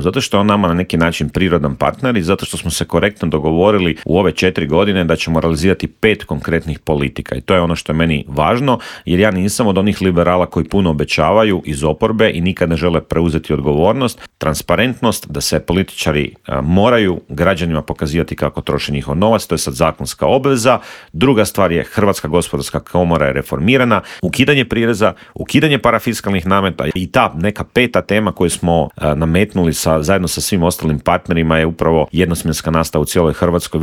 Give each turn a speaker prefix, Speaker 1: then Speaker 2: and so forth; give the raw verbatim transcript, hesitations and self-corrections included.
Speaker 1: Zato što je on nama na neki način prirodan partner i zato što smo se korektno dogovorili u ove četiri godine da ćemo realizirati pet konkretnih politika. I to je ono što je meni važno, jer ja nisam od onih liberala koji puno obećavaju iz oporbe i nikad ne žele preuzeti odgovornost. Transparentnost, da se političari a, moraju građanima pokazivati kako troše njihov novac, to je sad zakonska obveza. Druga stvar je Hrvatska gospodarska komora je reformirana, ukidanje prireza, ukidanje parafiskalnih nameta i ta neka peta tema koju smo a, nametnuli sa, zajedno sa svim ostalim partnerima je upravo jednosmjenska nastava u cijeloj Hrvatskoj.